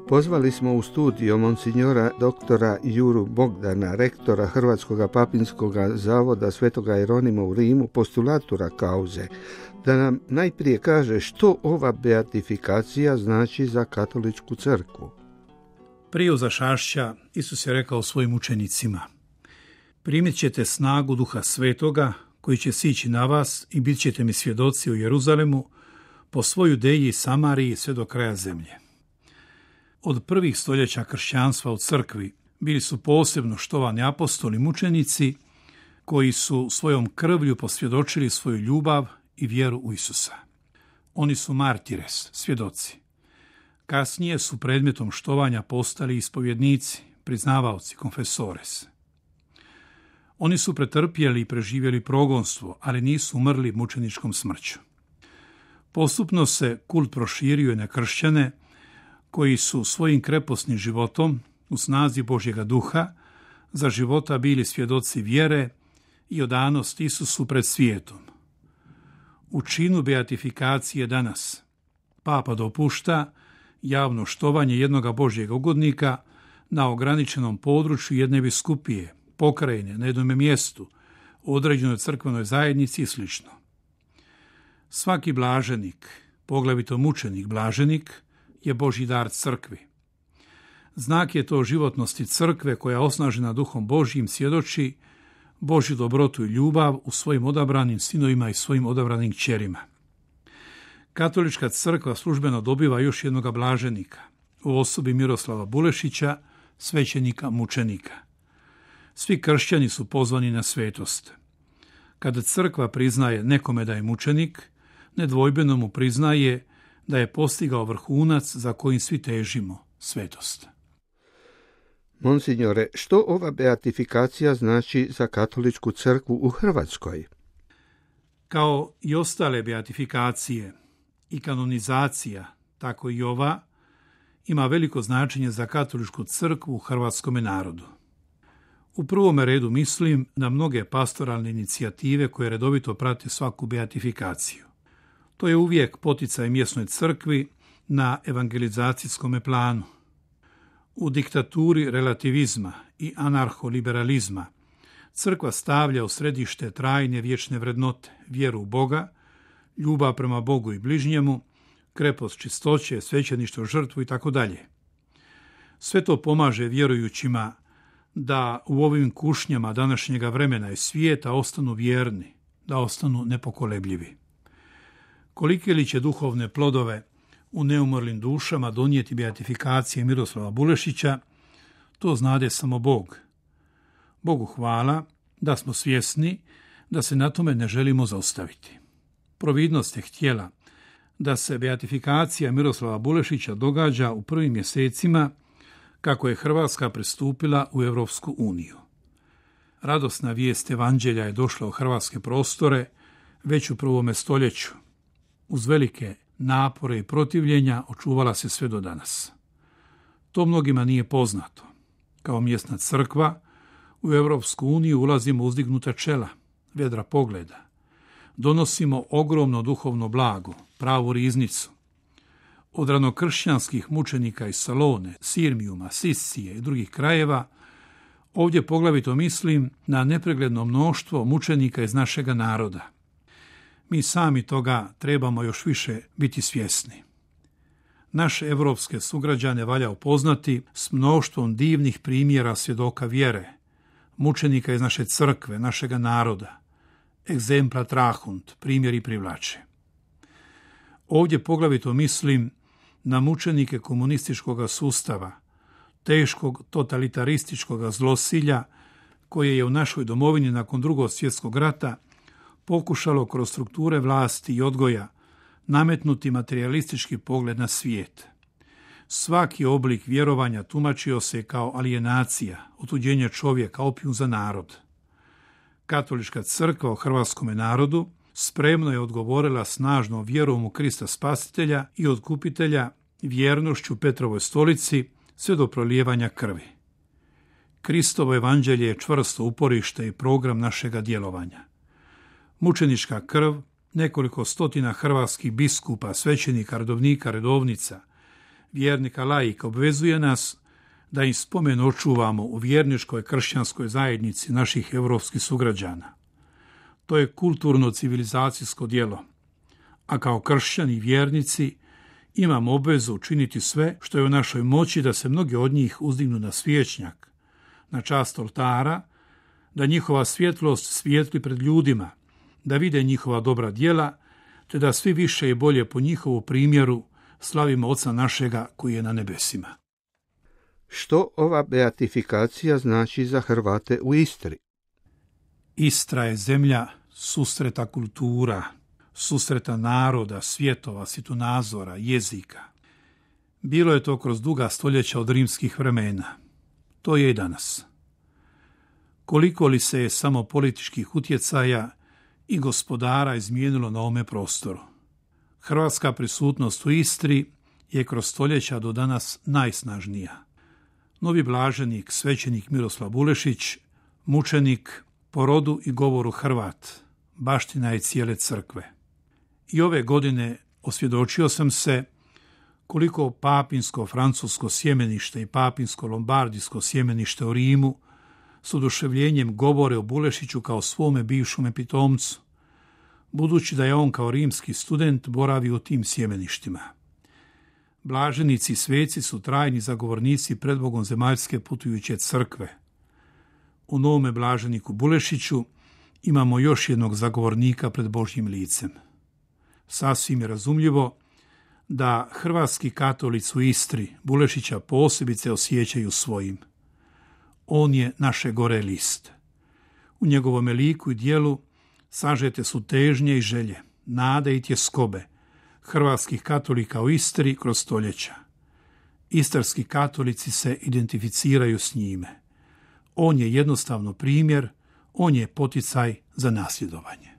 Pozvali smo u studio monsignora doktora Juru Bogdana, rektora Hrvatskog papinskog zavoda Svetoga Jeronima u Rimu, postulatura kauze, da nam najprije kaže što ova beatifikacija znači za katoličku crkvu. Prije uzašašća Isus je rekao svojim učenicima: primit ćete snagu Duha Svetoga koji će sići na vas i bit ćete mi svjedoci u Jeruzalemu, po svoj Judeji i Samariji sve do kraja zemlje. Od prvih stoljeća kršćanstva u crkvi bili su posebno štovani apostoli mučenici koji su svojom krvlju posvjedočili svoju ljubav i vjeru u Isusa. Oni su martires, svjedoci. Kasnije su predmetom štovanja postali ispovjednici, priznavaoci, konfesores. Oni su pretrpjeli i preživjeli progonstvo, ali nisu umrli mučeničkom smrću. Postupno se kult proširio i na kršćane koji su svojim kreposnim životom u snazi Božjega duha za života bili svjedoci vjere i odanosti Isusu pred svijetom. U činu beatifikacije danas Papa dopušta javno štovanje jednoga Božjega ugodnika na ograničenom području jedne biskupije, pokrajine, na jednom mjestu, u određenoj crkvenoj zajednici i sl. Svaki blaženik, poglavito mučenik blaženik, je Božji dar crkvi. Znak je to životnosti crkve koja osnažena duhom Božjim svjedoči Božju dobrotu i ljubav u svojim odabranim sinovima i svojim odabranim kćerima. Katolička crkva službeno dobiva još jednoga blaženika u osobi Miroslava Bulešića, svećenika mučenika. Svi kršćani su pozvani na svetost. Kada crkva priznaje nekome da je mučenik, nedvojbeno mu priznaje da je postigao vrhunac za kojim svi težimo, svetost. Monsignore, što ova beatifikacija znači za katoličku crkvu u Hrvatskoj? Kao i ostale beatifikacije i kanonizacija, tako i ova, ima veliko značenje za katoličku crkvu u hrvatskome narodu. U prvome redu mislim na mnoge pastoralne inicijative koje redovito prate svaku beatifikaciju. To je uvijek poticaj mjesnoj crkvi na evangelizacijskom planu. U diktaturi relativizma i anarholiberalizma crkva stavlja u središte trajne vječne vrednote, vjeru u Boga, ljubav prema Bogu i bližnjemu, krepost čistoće, svećeništvo, žrtvu itd. Sve to pomaže vjerujućima da u ovim kušnjama današnjega vremena i svijeta ostanu vjerni, da ostanu nepokolebljivi. Kolike li će duhovne plodove u neumorlim dušama donijeti beatifikacije Miroslava Bulešića, to znade samo Bog. Bogu hvala da smo svjesni da se na tome ne želimo zaustaviti. Providnost je htjela da se beatifikacija Miroslava Bulešića događa u prvim mjesecima kako je Hrvatska pristupila u Europsku uniju. Radosna vijest evanđelja je došla u hrvatske prostore već u 1. stoljeću. Uz velike napore i protivljenja očuvala se sve do danas. To mnogima nije poznato. Kao mjesna crkva u Europsku uniju ulazimo uzdignuta čela, vedra pogleda. Donosimo ogromno duhovno blago, pravu riznicu. Od ranokršćanskih mučenika iz Salone, Sirmijuma, Sisije i drugih krajeva, ovdje poglavito mislim na nepregledno mnoštvo mučenika iz našega naroda. Mi sami toga trebamo još više biti svjesni. Naše evropske sugrađane valja upoznati s mnoštvom divnih primjera svjedoka vjere, mučenika iz naše crkve, našega naroda. Exempla trahunt, primjeri privlače. Ovdje poglavito mislim na mučenike komunističkog sustava, teškog totalitarističkog zlosilja koje je u našoj domovini nakon Drugog svjetskog rata pokušalo kroz strukture vlasti i odgoja nametnuti materijalistički pogled na svijet. Svaki oblik vjerovanja tumačio se kao alijenacija, otuđenje čovjeka, opijum za narod. Katolička crkva u hrvatskome narodu spremno je odgovorila snažnom vjerom u Krista Spasitelja i Otkupitelja, vjernošću Petrovoj stolici sve do prolijevanja krvi. Kristovo evanđelje je čvrsto uporište i program našega djelovanja. Mučenička krv, nekoliko stotina hrvatskih biskupa, svećenika, redovnika, redovnica, vjernika laika obvezuje nas da im spomen očuvamo u vjerničkoj kršćanskoj zajednici naših evropskih sugrađana. To je kulturno-civilizacijsko djelo, a kao kršćani i vjernici imamo obvezu učiniti sve što je u našoj moći da se mnogi od njih uzdignu na svječnjak, na čast oltara, da njihova svjetlost svijetli pred ljudima, da vide njihova dobra djela, te da svi više i bolje po njihovu primjeru slavimo Oca našega koji je na nebesima. Što ova beatifikacija znači za Hrvate u Istri? Istra je zemlja susreta kultura, susreta naroda, svjetova, svjetonazora, jezika. Bilo je to kroz duga stoljeća od rimskih vremena. To je i danas. Koliko li se je samo političkih utjecaja i gospodara izmijenilo na ovome prostoru? Hrvatska prisutnost u Istri je kroz stoljeća do danas najsnažnija. Novi blaženik, svećenik Miroslav Bulešić, mučenik, po rodu i govoru Hrvat, baština je cijele crkve. I ove godine osvjedočio sam se koliko papinsko-francusko sjemenište i papinsko-lombardijsko sjemenište u Rimu s oduševljenjem govore o Bulešiću kao svome bivšome pitomcu, budući da je on kao rimski student boravio u tim sjemeništima. Blaženici i sveci su trajni zagovornici pred Bogom zemaljske putujuće crkve. U novome blaženiku Bulešiću imamo još jednog zagovornika pred Božjim licem. Sasvim je razumljivo da hrvatski katolici u Istri Bulešića posebice osjećaju svojim. On je naše gore list. U njegovome liku i dijelu sažete su težnje i želje, nade i tjeskobe hrvatskih katolika u Istri kroz stoljeća. Istarski katolici se identificiraju s njime. On je jednostavno primjer, on je poticaj za nasljedovanje.